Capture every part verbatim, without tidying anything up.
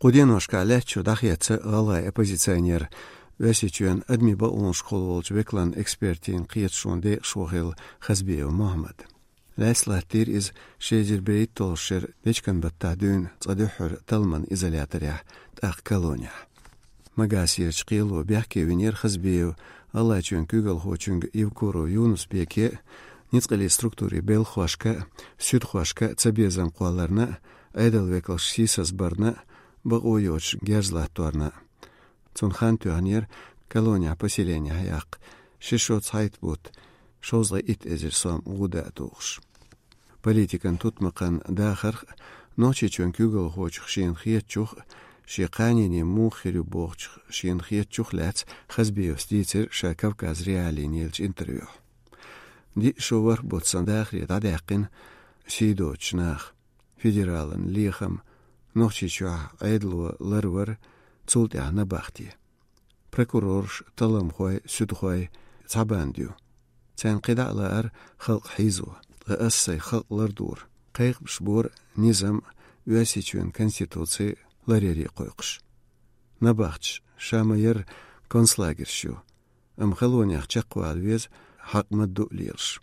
Кху деношкахь лаьттачу дӀахецна гӀалгӀай оппозиционер, Оьрсийчоьнан адамийн бакъонашкахула волчу векалан экспертийн кхеташонан декъашхо хилла Хазбиев Мухьаммад. Лаьцна латтийра иза ши эзар берхӀитталгӀачу шеран дечкен-баттахь дуьйна цкъа дуьххьара талламан изоляторехь, тӀаккха колонехь. Магасерчу кхело бехке винера Хазбиев ГӀалгӀайчоьнан куьйгалхочуьнга Евкуров Юнус-Беке, ницкъаллин структурийн белхахошка, суьдхошка цабезам кхолларна, Ӏедалан векалш сийсазбарна, бакъо йоцуш герз латторна. Цунна хан тоьхнера колонехь поселенехь яккха ши шо цхьайтта бутт, шовзткъе итт эзар сом гӀуда а тухуш. Политикан тутмакхан дахарх а, Нохчийчоьнан куьйгалхочух шена хетачух а, шен кханене муха хир ю бохучух шена хетачух а лаьцна Хазбиевс дийцира ша Кавказ.Реалиина еллачу интервьюхь. Диъ шо ворхӀ бутт санна дахаре дӀадаьккхина сий доцучу наха, федералан лехам, Нохчийчохь Ӏедало ларвар, цул тӀаьхьа набахте. Прокурорш, талламхой, суьдхой — цхьа банда ю. Царна кхидӀа а лаара халкъ хьийзо, ткъа аса сайн халкъ лардора, кхайкхамаш бора низам а, Оьрсийчоьнан конституци а ларъяре кхойкхуш. Набахташ ша ма-ярра концлагерш ю, амма колонех чекхвала веза, хьакъ ма-дду а лелаш.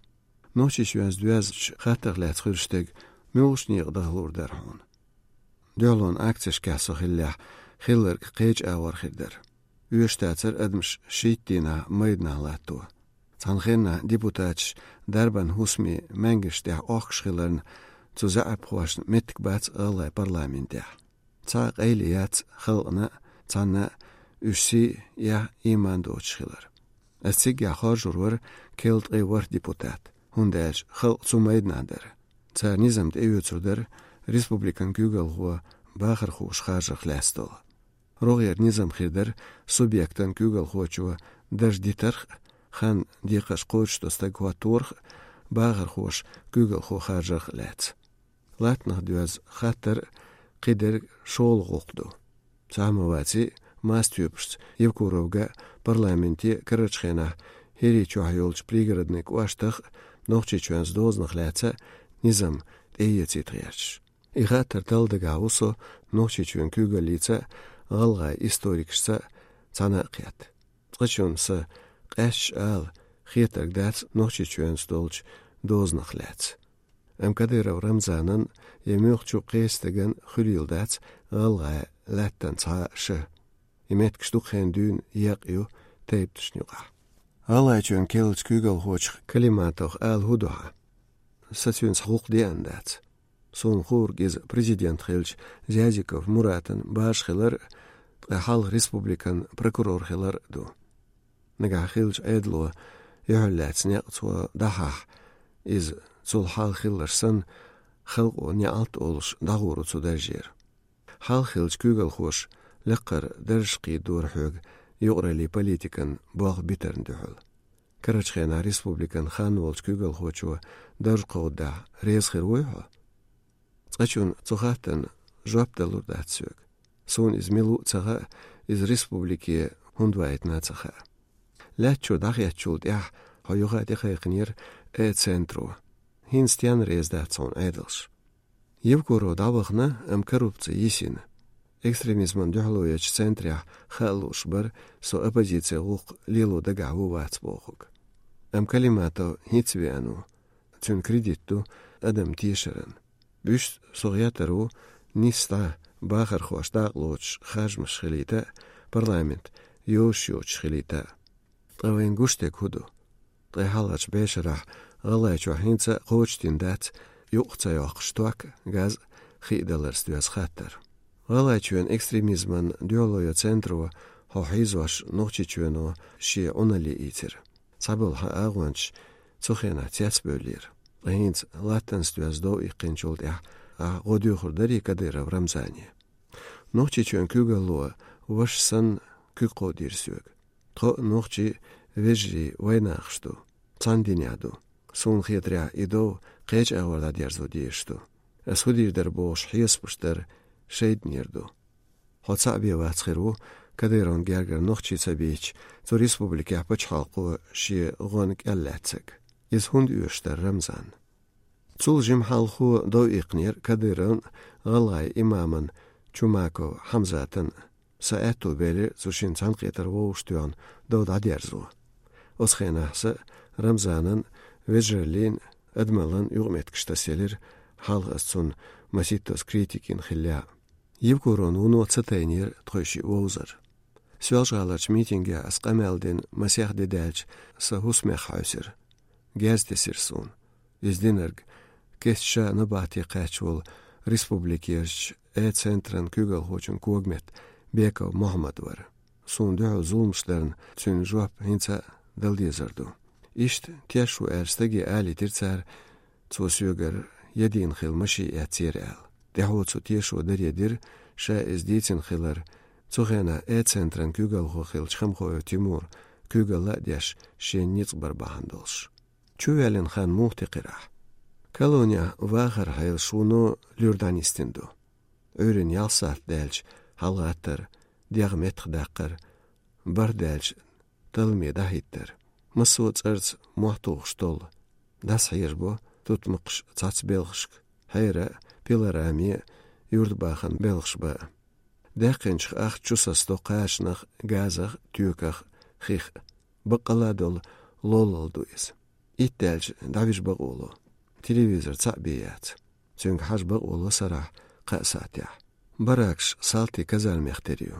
Нохчийчоьнца доьзначу хаттарх лаьцна хуьлуш дерг муьлхачу некъа дахалур дара хьуна? Дуьхьалонан акцешкахь со хиллехь, хилларг кхечу агӀор хир дара. Оьшуш дацара адамаш шийтта дийнахь майданахь латто. Цхьана хеннахь депутаташ дарбан хӀусамийн маьнгаш тӀехь охкуш хиларна, цу заьӀапхошна меттиг бац гӀалгӀайн парламентехь. Цхьа а къайле яц халкъана а, цхьанна а уьш сий а, эхь а, ийман а доцуш хилар. Ас циггахь хоржур вара керла ткъе ворхӀ депутат, хӀунда аьлча халкъ цу майданахь дара. Цара низам тӀеоьцур дара республикан куьйгалхо бахархоша харжарх лаьцна долу. РогӀера низам хир дара субъектан куьйгалхочо дарж дитарх а, хан декхарш кхочушдо стаг хӀотторах а, бахархоша куьйгалхо харжарх а лаьцна. Латтанах доьзна хаттар а, кхидерг а шолгӀа гӀуллакх ду. Цхьа а ма ваций, мастхьоьпашца Евкуровга а, парламенте а карарчу хенахь ХӀирийчохь йолчу Пригородни кӀоштах а Нохчийчоьнца дозанах лаьцна низам тӀеэцийта гӀерташ. И хаттар талла дагахь ву со Нохчийчоьнан куьйгаллица а, гӀалгӀайн историкашца а цхьаьна а кхетта. Цкъачунна сан къаьсташ ала хетарг дац Нохчийчоьнца долчу дозанах лаьцна. Амма Кадыров Рамзанан я муьлххачу кхечу стеган хуьлийла дац гӀалгӀайн лаьттан цхьа а ша. И меттигаш дукха хан дуьйна екъна ю тайпанашна юкъахь. ГӀалгӀайчоьнан керлачу куьйгалхочух Калиматовх ала хӀун ду хьан? Сан цуьнца гӀуллакх деана дац. Суна хуург иза президент хиллачу Зязиков Муратан бажа хилар а, ткъа хьалха республикан прокурор хилар а ду. Нагахь хиллачу Ӏедало юьхьарлаьцна некъ цо дӀахьахь, иза цул хьалха хилларш санна, халкъо неӀалт а олуш дӀагӀур ву цу даржера. Хьалха хиллачу куьйгалхоша лакхара даржаш кхийдора хьоьга юкъараллин политикан болх битарна дуьхьал. Карарчу хенахь республикан хан волчу куьйгалхочо дарж кховдадахь, реза хир вуй хьо? Цкъачунна цу хаттарна жоп далур дац соьга. Суна иза мила ву а ца хаьа, иза республике хӀунда вайтина а ца хаьа. Лаьттачу дӀахецначул тӀаьхьа хьо юха а тӀекхайкхинера Э-центро. ХӀинца стенна реза дац хьуна Ӏедалш? Евкуров дӀавахана, амма коррупци йисина. Экстремизмана дуьхьало ечу центрехь хаа лууш бара со оппозицин гӀуллакх лело дагахь ву-вац бохург. Амма Калиматов хӀинца веана ву. Цуьнан кредит ду адаман тешаран. Вуьшта со гӀертар ву нисса дӀа бахархошна дакъалоцуш харжамаш хилийта а, парламент йозуш йоцуш хилийта а. Ткъа вайна гуш дерг хӀун ду? Ткъе хьалхарчу бӀешарахь ГӀалгӀайчохь хӀинца а кхочушдина дац юкъах ца йоккхуш ток а, газ а, хи а даларца доьзна хаттар. ГӀалгӀайчоьнан экстремизмана дуьхьало йо центро хьо хьийзош Нохчийчоьно шен Ӏуналле ийцира. Цхьаболу хьан агӀончаш цу хенахь цецбевллера. Ткъа хӀинца латтанца доьзна дов иккхинчул тӀаьхьа ахь гӀо доьхур дарий Кадыров Рамзане? Нохчийчоьнан куьйгалло ваша санна куьг кховдийра соьга. Тхо а, нохчий а, вежарий вайнахаш ду, цхьана динехь ду. Суна хетарехь, и дов кхечу агӀор дӀадерзо дезаш ду. Ас хӀун дийр дара бохуш хьесапаш дар шайданера ду. Хьо цхьаъ бен вац хир ву, Кадыровн гергара нохчий ца бийцича, цу республикехь пачхьалкхо шен гӀон кӀел лаьцнарг. Иза хӀунда оьшуш дара Рамзанна? Цул жима хьалхо дов иккхинера Кадыровн гӀалгӀайн имаман Чумаков Хьамзатан са аьтту белира цу шин цхьанкхетар вовшах тоьхна дов дӀадерзо. Оцу хенахь са Рамзанан, Вежерлин, Адамалан юкъаметтигаш тасъелира, хьалха ас цунна масийттаза критика йина хиллехь а. Евкуров вуно ца тайнера тхойшиъ вовзар. Соьлжа-ГӀаларчу митингехь ас къамел дина масех де даьлча, сан хӀусамех хьаьвсира. Герз тесира суна. Иза динарг кеста ша набахте кхаьчна волу республикерчу Э-центран куьйгалхочун когаметта Беков Мохьмад вара. Суна дуьхьал зуламаш дарна цуьнан жоп хӀинца а дала дезар ду. Иштта теш ву аьлла стаге алийтира цара, цо соьгара ядийна хилла машин эцнера аьлла. ТӀаьхьо цу тешо даре дира, ша иза дийцина хилар, цу хенахь Э-центран куьйгалхо хиллачу Хамхоев Тимура куьйгалла а деш, шен ницкъ бар бахьана долуш. Чувоьллина хан муха текхира ахь? Колонехь вахаран хьелаш вуно луьра дӀанисдина ду. Ӏуьйранна ялх сахьт даьлча хьалагӀаттар, дегӀ меттахдаккхар, бархӀ даьлча талламе дӀахӀиттар. Массо а цӀарца мохь тухуш толлу. ДӀасахьежабо тутмакхаш цхьацца белхашка, хьера а, пилорами а, юьртабахаран белхаш бан а. Даьккхинчух ахча чу сацадо кхачанах, газах, тоьках, хих а. Баккъалла а долу лоллал ду иза. Итт даьлча дӀавижа бакъо ло. Телевизор цхьаъ бен яц. Цуьнга хьажа бакъо ло сарахь кхаа сахьтехь. Баракаш салтийн казармех тера ю.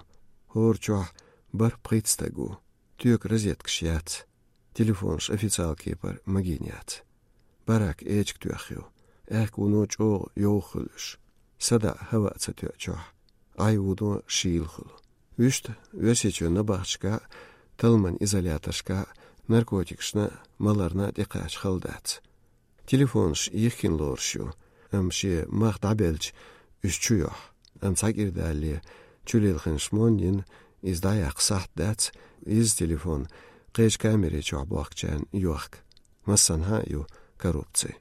ХӀора чохь бархӀ-пхийтта стаг ву. Тоька розеткаш яц. Телефонаш официалан кепара магийна яц. Барак эчиг тоьхна ю. Аьхка вуно чӀогӀа йовха хуьлу уьш. СадаӀа хӀаваъ ца тоьа чохь. Ӏай вуно шийла хуьлу. Вуьшта Оьрсийчоьнан набахташкахь а, талламан изоляторшкахь а наркотикашна а, маларна а тӀекхача хала дац. Телефонаш йихкина лоруш ю, амма шен мах дӀабелча уьш чу йохьу. Амма цхьа кӀира далале, чулилхинчу шмоннина иза дӀаяккха сахьт дац, изза телефон кхечу камери чохь бохкучарна йохка. Массанхьа а ю коррупци.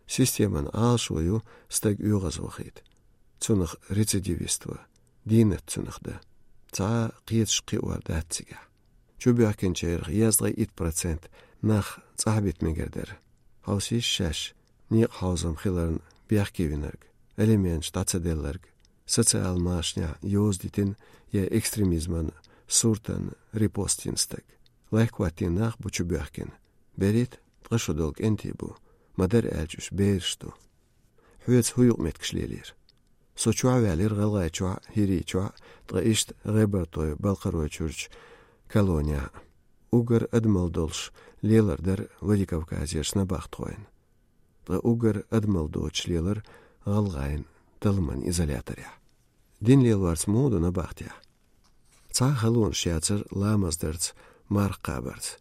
Системан Ӏалашо ю стаг оьгӀазвахийта. Цунах рецидивист ван, дийнат цунах дан. Цхьа а кхеташ кхиор дац цигахь. Чубоьхкинчарах дезткъе итт процент нах цӀахь бита мегар дара. Хьовсийша шаьш, некъахьовзам хиларна бехке винарг, алименташ дӀа ца делларг, социал машанехь йоза дитина я экстремизман суртан репост йина стаг. Лайх хӀоттийна нах бу чубоьхкина. Берриг а ткъа шо долу кӀентий бу, ма-дарра аьлча уьш бераш ду. Хьоьца хӀун юкъаметтигаш лелийра? Со чохь ваьллера ГӀалгӀайчохь а, ХӀирийчохь а, ткъа иштта ГӀебартойн-Балкхаройчуьрчу колонехь а. Уггар адамалла долуш лелар дара Владикавказерчу набахтхойн. Ткъа уггар адамалла доцуш лелар гӀалгӀайн талламан изоляторехь. Дин лелорца муха ду набахтехь? Цхьа а халонаш яцара ламаз дарца, марха кхабарца,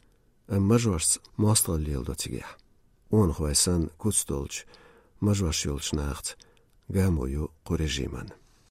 амма мажошца мостагӀалла леладо цигахь. Онахой санна куц долчу мажош йолчу нахаца гамо ю кху режиман.